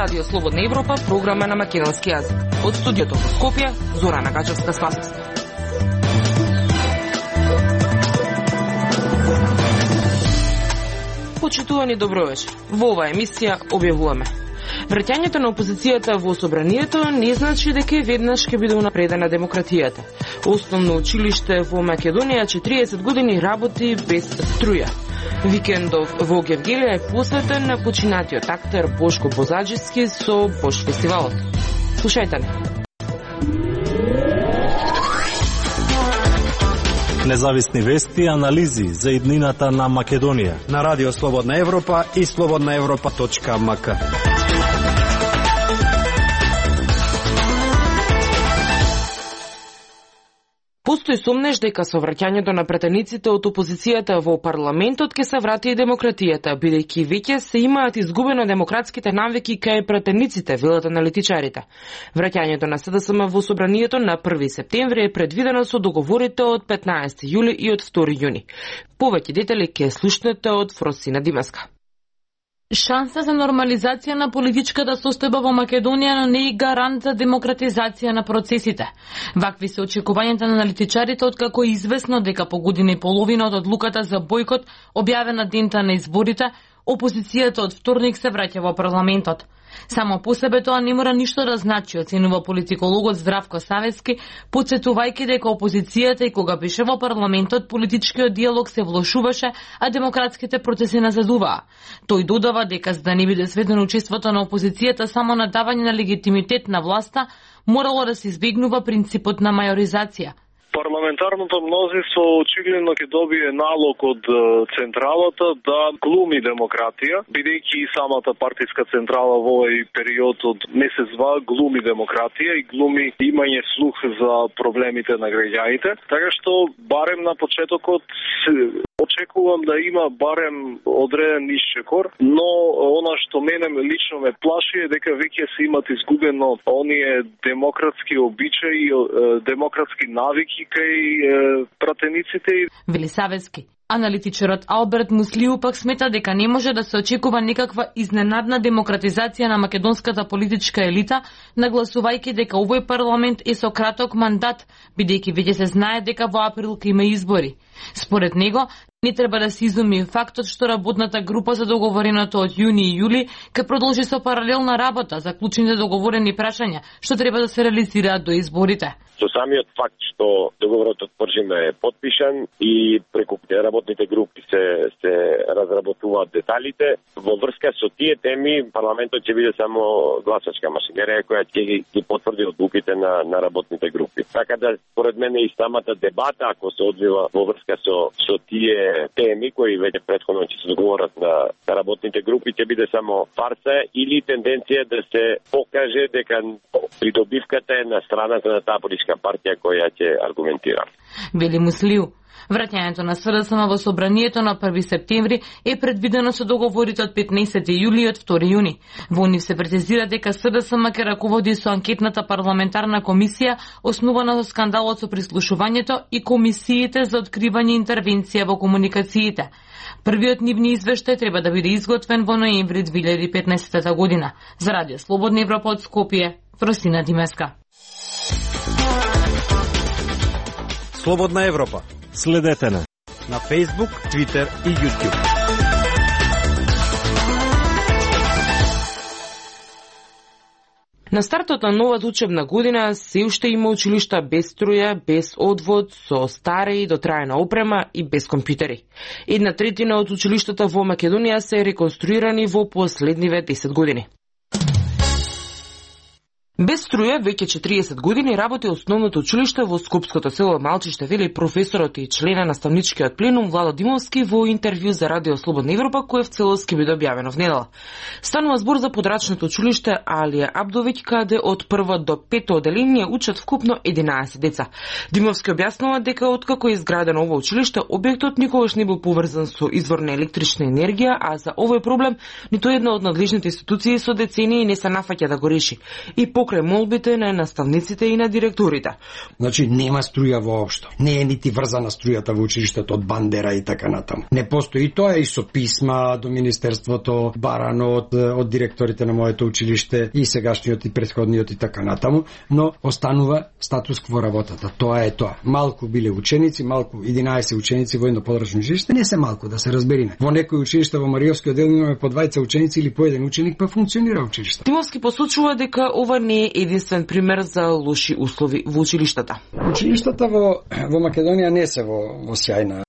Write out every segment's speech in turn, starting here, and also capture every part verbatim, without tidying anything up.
Радио Слободна Европа, програма на македонски јазик. Од студиото во Скопје, Зорана Гачевска-Спасовска. Почитувани, добро вечер. Во оваа емисија објавуваме: враќањето на опозицијата во собранието не значи дека веднаш ќе биде унапредена демократијата. Основно училиште во Македонија четириесет години работи без струја. Викендов во Гевгелија е посветен на починатиот актер Бошко Бозаджиски со Бош фестивалот. Слушајте не. Независни вести и анализи за иднината на Македонија на Радио Слободна Европа и слободна европа точка ем ка. Постои сомнеш дека со враќањето на пратениците од опозицијата во парламентот ќе се врати и демократијата, бидејќи веќе се имаат изгубено демократските навики кај пратениците, велат аналитичарите. Враќањето на С Д С М во собранието на први септември е предвидено со договорите од петнаесети јули и од втори јуни. Повеќе детали ќе слушнете од Фросина Димеска. Шанса за нормализација на политичката состојба во Македонија не е гарант за демократизација на процесите. Вакви се очекувањата на аналитичарите, откако е известно дека по година и половина од одлуката за бојкот, објавена дента на изборите, опозицијата од вторник се враќа во парламентот. Само по себе тоа не мора ништо да значи, оценува политикологот Здравко Савески, потсетувајќи дека опозицијата и кога беше во парламентот, политичкиот диалог се влошуваше, а демократските процеси назадуваа. Тој додава дека за да не биде сведено учеството на опозицијата само на давање на легитимитет на власта, морало да се избегнува принципот на мајоризација. Парламентарното мнозинство очигледно ќе добие налог од централата да глуми демократија, бидејќи и самата партиска централа во овој период од месец-два глуми демократија и глуми имање слух за проблемите на граѓаните. Така што барем на почетокот очекувам да има барем одреден исчекор, но она што мене лично ме плаши е дека веќе се имат изгубено оние демократски обичаи, демократски навики кај пратениците. Вели Савески. Аналитичарот Алберт Муслиу пак смета дека не може да се очекува некаква изненадна демократизација на македонската политичка елита, нагласувајќи дека овој парламент е со краток мандат, бидејќи веќе се знае дека во април ќе има избори. Според него, не треба да се изуми фактот што работната група за договореното од јуни и јули ќе продолжи со паралелна работа за клучните договорени прашања што треба да се реализираат до изборите. Со самиот факт што договорот од Пржиме е подпишан и преку работните групи се се разработуваат деталите, во врска со тие теми парламентот ќе биде само гласачка машинерија која ќе ги потврди одлуките на на работните групи. Така да според мене и самата дебата ако се одвива во врска со со тие теми кои веќе претходно ќе се договорат на, на работните групи ќе биде само фарса или тенденција да се покаже дека придобивката е на страната на таа политичка партија која ќе аргументира. Вели Муслиу. Враќањето на С Д С М во собранието на први септември е предвидено со договорите од петнаесети јули и од втори јуни. Во нив се прецизира дека С Д С М ќе раководи со анкетната парламентарна комисија основана со скандалот со прислушувањето и комисиите за откривање интервенција во комуникациите. Првиот нивни извештај треба да биде изготвен во ноември две илјади и петнаесета година. За Радио Слободна Европа од Скопје, Фросина Димеска. Слободна Европа. Следете на на Facebook, Twitter и YouTube. На стартот на новата учебна година се уште има училишта без струја, без одвод, со стара и дотраена опрема и без компјутери. Една третина од училиштата во Македонија се реконструирани во последниве десет години. Без струја веќе четириесет години работи основното училиште во скопското село Малчиште, вели професорот и члена наставничкиот пленум Владо Димовски во интервју за Радио Слободна Европа, кој в целост ќе биде објавено внедела. Станува збор за подрачното училиште Алија Абдовиќ, каде од прво до пето оделение учат вкупно единаесет деца. Димовски објаснува дека откако е изградено ово училиште, објектот никогаш не бил поврзан со извор на електрична енергија, а за овој проблем ниту една од надлежните институции со децении не се нафаќа да го реши. И по покрај молбите на наставниците и на директорите. Значи нема струја воопшто. Не е нити врзана струјата во училиштето од бандера и така натаму. Не постои тоа и со писма до министерството, барано од, од директорите на моето училиште и сегашниот и претходниот и така натаму, но останува статус кво работата. Тоа е тоа. Малку биле ученици, малку единаесет ученици во едно подрачно училиште, не се малку да се разбериме. Во некои училишта во Мариовскиот дел имаме по дваесет ученици или по еден ученик, па функционира училиште. Димовски посочува дека ова не е единствен пример за лоши услови во училиштата. Училиштата во во Македонија не се во во сјајна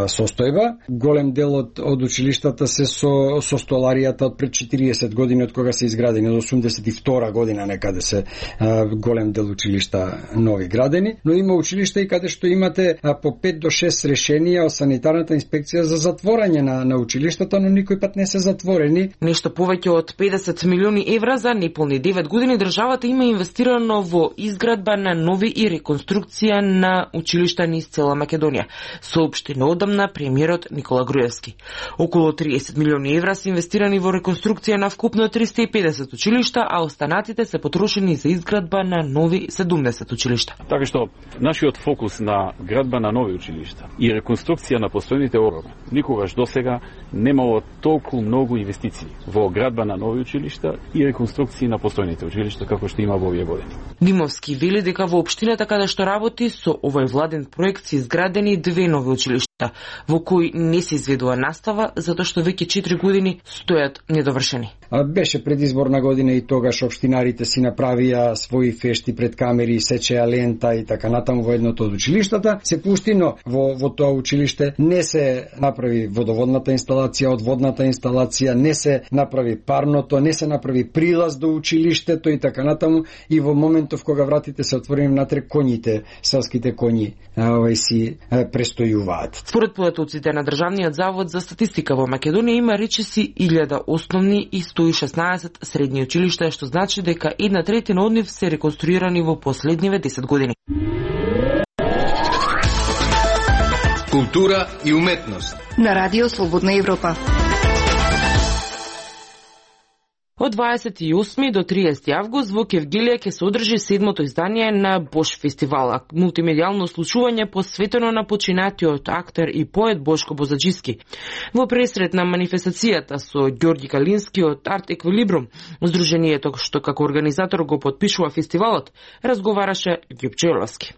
состојба. Голем дел од, од училиштата се со, со столаријата од пред четириесет години, од кога се изградени, од осумдесет и втора година некаде се а, голем дел училишта нови градени, но има училишта и каде што имате а, по пет до шест решенија од санитарната инспекција за затворање на, на училиштата, но никој пат не се затворени. Нешто повеќе од педесет милиони евра за неполни девет години државата има инвестирано во изградба на нови и реконструкција на училишта низ цела Македонија, соопшти одамна премиерот Никола Груевски. Околу триесет милиони евра се инвестирани во реконструкција на вкупно триста и педесет училишта, а останатите се потрошени за изградба на нови седумдесет училишта. Така што нашиот фокус на градба на нови училишта и реконструкција на постојните орови никогаш досега немало толку многу инвестиции во градба на нови училишта и реконструкција на постојните училишта како што има во овие години. Димовски вели дека во општината каде што работи со овој владен проект се изградени две нови училишта, во кои не се изведува настава, затоа што веќе четири години стојат недовршени. А беше предизборна година и тогаш општинарите си направија своји фешти пред камери, сечеа лента и така натаму во едното од училиштата. Се пушти, но во, во тоа училиште не се направи водоводната инсталација, одводната инсталација, не се направи парното, не се направи прилаз до училиштето и така натаму. И во моментов кога вратите се отворени внатре, коњите, селските коњи, овај си престојуваат. Според податоците на Државниот завод за статистика во Македонија има речиси илјада основни и сто и шеснаесет средни училишта, што значи дека една третина од нив се реконструирани во последниве десет години. Култура и уметност на Радио Слободна Европа. Од дваесет и осми до триесети август во Кевгелија ќе се одржи седмото издание на Бош фестивал, мултимедијално случување посветено на починатиот актер и поет Бошко Бозаџиски. Во пресрет на манифестацијата со Ѓорѓи Калински од Арт Еквилибрум, здруженијето што како организатор го потпишува фестивалот, разговараше Ѓупче Оловски.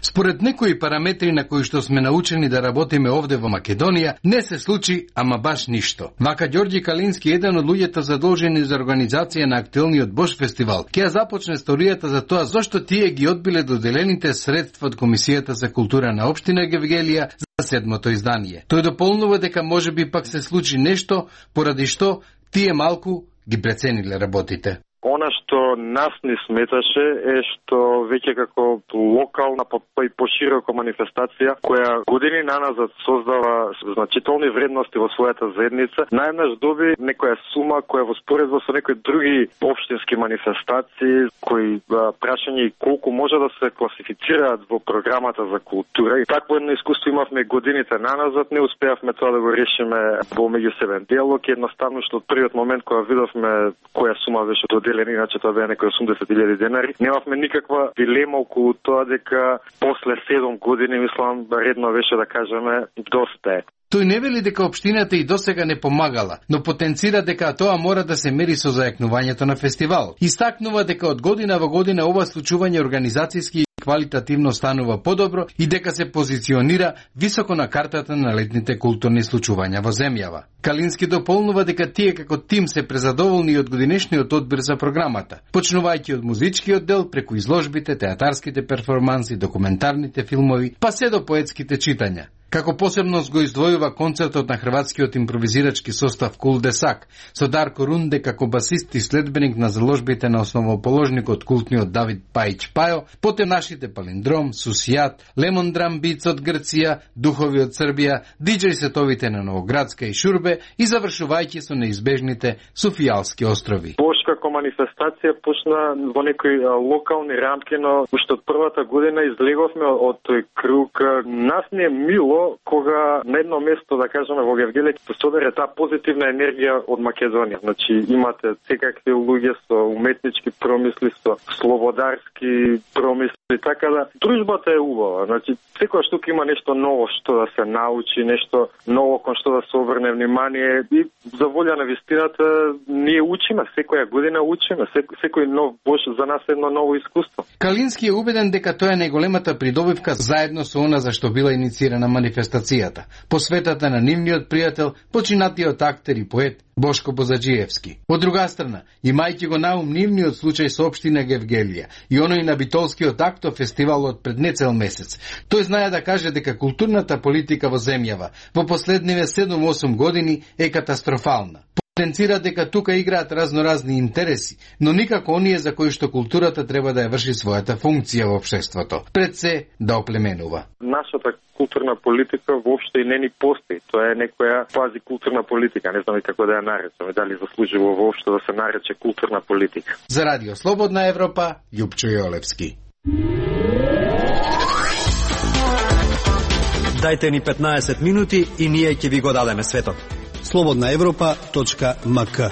Според некои параметри на кои што сме научени да работиме овде во Македонија, не се случи ама баш ништо. Вака Ѓорѓи Калински, еден од луѓето задолжени за организација на актуелниот Бош фестивал, ќе ја започне историјата за тоа зошто тие ги одбиле доделените средства од Комисијата за култура на општина Кевгелија за седмото издание. Тој дополнува дека можеби пак се случи нешто поради што тие малку ги прецениле работите. Она што нас не сметаше е што веќе како локална па и поширока манифестација која години наназад создава значителни вредности во својата заедница, најнаш доби некоја сума која во споредба со некои други општински манифестации, кои прашање и колку може да се класифицираат во програмата за култура. И такво едно искуство имавме годините наназад, не успеавме тоа да го решиме во меѓусебен диалог, едноставно што од првиот момент кога видовме која сума беше доделена, иначе тоа беа некои осумдесет илјади денари. Немавме никаква дилема околу тоа дека после седум години, мислам, редно беше да кажеме доста е. Тој не вели дека општината и досега не помагала, но потенцира дека тоа мора да се мери со зајакнувањето на фестивал. Истакнува дека од година во година ова случување организацијски и квалитативно станува подобро и дека се позиционира високо на картата на летните културни случувања во земјава. Калински дополнува дека тие како тим се презадоволни од годинешниот одбир за програмата, почнувајќи од музичкиот дел преку изложбите, театарските перформанси, документарните филмови, па се до поетските читања. Како посебност го издвојува концертот на хрватскиот импровизирачки состав Кулдесак со Дарко Рунде како басист и следбеник на заложбите на основоположникот култниот Давид Пајич Пајо, потем нашите Палиндром, Сусијат, Лемон Драм Битс од Грција, Духови од Србија, диџеј сетовите на Новоградска и Шурбе и завршувајќи со неизбежните Софијалски острови. Бош како манифестација почна во некои локални рамки, но уште од првата година излеговме од тој круг. Нас не е мило кога на едно место, да кажеме, во Гевгелие се собере таа позитивна енергија од Македонија. Значи имате секакви луѓе со уметнички промисли, со слободарски промисли, така да дружбата е убава. Значи секојаш тука има нешто ново што да се научи, нешто ново кон што да се обрне внимание и за волја на вистината ние учиме, секоја година учиме, секој, секој нов бош за нас е едно ново искуство. Калински е убеден дека тоа е најголемата придобивка заедно со она за што била иницирана манифестацијата, посветата на нивниот пријател, починатиот актер и поет Бошко Бозаджиевски. Од друга страна, имајќи го наум нивниот случај со општина Гевгелија и оној на Битолскиот акто фестивалот пред нецел месец, тој знае да каже дека културната политика во земјава во последниве седум-осум години е катастрофална. Потенцира дека тука играат разноразни интереси, но никако оние за кои што културата треба да ја врши својата функција во општеството, пред се да оплеменува. Нашата културна политика воопшто и не ни постои. Тоа е некоја квази културна политика, не знам и како да ја наречеме, дали заслужува воопшто да се нарече културна политика. За Радио Слободна Европа, Љупчо Јолевски. Дајте ни петнаесет минути и ние ќе ви го дадеме светот. слободна европа точка ем ка.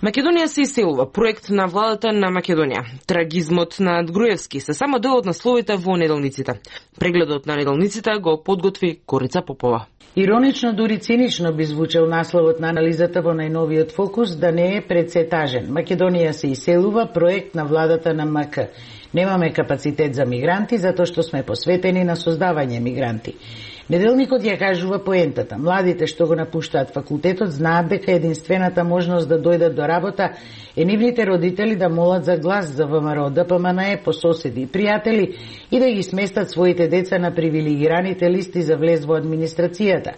Македонија се иселува, проект на владата на Македонија. Трагизмот на Груевски се само дел од насловите во неделниците. Прегледот на неделниците го подготви Корица Попова. Иронично, дури цинично би звучал насловот на анализата во најновиот фокус да не е пред се тажен. Македонија се иселува, проект на владата на ем ка. Немаме капацитет за мигранти, затоа што сме посветени на создавање мигранти. Неделникот ја кажува поентата. Младите што го напуштаат факултетот знаат дека единствената можност да дојдат до работа е нивните родители да молат за глас за ВМРО Д П М Н Е по соседи и пријатели и да ги сместат своите деца на привилегираните листи за влез во администрацијата.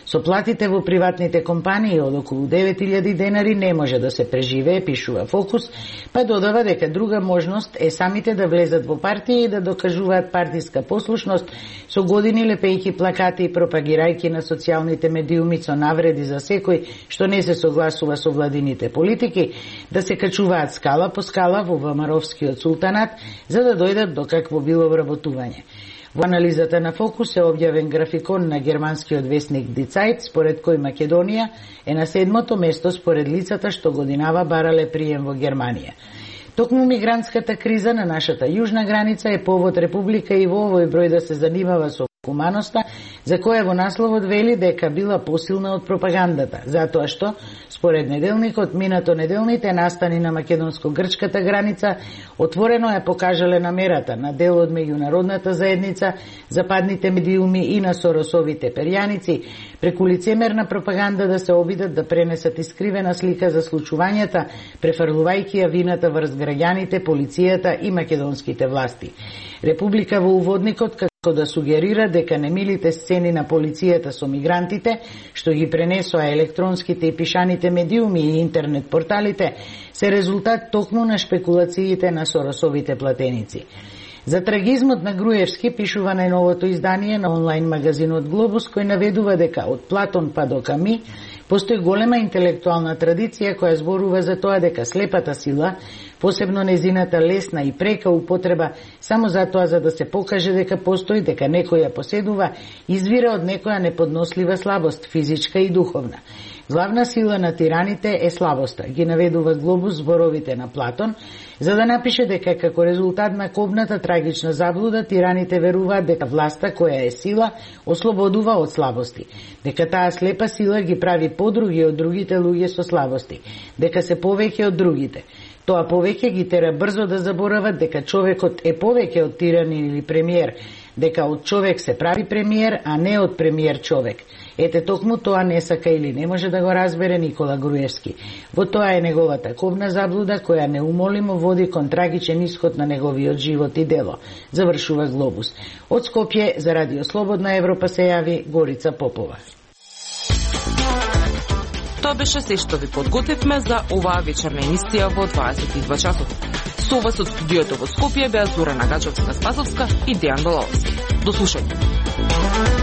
Со платите во приватните компании од околу девет илјади денари не може да се преживее, пишува Фокус, па додава дека друга можност е самите да влезат во партија и да докажуваат партиска послушност со години лепејќи плакати и пропагирајќи на социјалните медиуми со навреди за секој што не се согласува со владините политики, да се качуваат скала по скала во ВМРО-вскиот султанат за да дојдат до какво било вработување. Во анализата на Фокус е објавен графикон на германскиот весник Die Zeit, според кој Македонија е на седмото место според лицата што годинава барале прием во Германија. Токму мигрантската криза на нашата јужна граница е повод Република и во овој број да се занимава со хуманоста, за која во насловот вели дека била посилна од пропагандата, затоа што, според неделникот, минато неделните настани на македонско-грчката граница отворено ја покажале намерата на дел од меѓународната заедница, западните медиуми и на Соросовите перјаници, преку лицемерна пропаганда да се обидат да пренесат искривена слика за случувањата, префрлувајќи ја вината врз граѓаните, полицијата и македонските власти. Република во уводникот како да сугерира дека немилите сцени на полицијата со мигрантите, што ги пренесоа електронските и пишаните медиуми и интернет порталите, се резултат токму на шпекулациите на Соросовите платеници. За трагизмот на Груевски пишува најновото издание на онлайн магазинот Глобус, кој наведува дека од Платон па до Ками постои голема интелектуална традиција која зборува за тоа дека слепата сила, посебно незината лесна и прека употреба само затоа за да се покаже дека постои, дека некој ја поседува, извира од некоја неподнослива слабост, физичка и духовна. Главна сила на тираните е слабоста, ги наведува Глобус зборовите на Платон, за да напише дека како резултат на кобната трагична заблуда тираните веруваат дека власта која е сила ослободува од слабости, дека таа слепа сила ги прави подруги од другите луѓе со слабости, дека се повеќе од другите. Тоа повеќе ги тера брзо да заборават дека човекот е повеќе од тиранин или премиер, дека од човек се прави премиер, а не од премиер човек. Ете токму тоа не сака или не може да го разбере Никола Груевски. Во тоа е неговата кобна заблуда која неумолимо води кон трагичен исход на неговиот живот и дело, завршува Глобус. Од Скопје за Радио Слободна Европа се јави Горица Попова. Тоа беше се што ви подготвивме за оваа вечерна емисија во дваесет и два часот. Со вас од студиото во Скопје беа Зорана Гачовска-Спасовска и Дејан Балаловски. До слушање.